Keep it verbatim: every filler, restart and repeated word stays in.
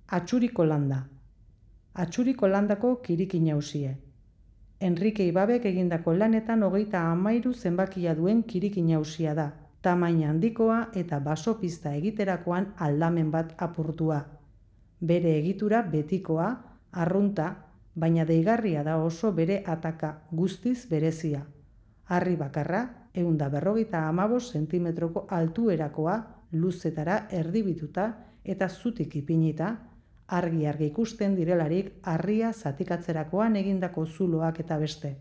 Atxuriko landa. Atxuriko landako kiriki nausie. Enrique Ibabek egindako lanetan hogeita hamairu zenbakia duen kiriki nausia da, tamaina handikoa eta basopista egiterakoan aldamen bat apurtua. Bere egitura betikoa, arrunta, baina deigarria da oso bere ataka, guztiz berezia. Harri bakarra, ehun eta berrogeita hamabost zentimetroko altuerakoa, luzetara erdibituta eta zutik ipinita, argi-argi ikusten direlarik harria zatikatzerakoan egindako zuloak eta beste.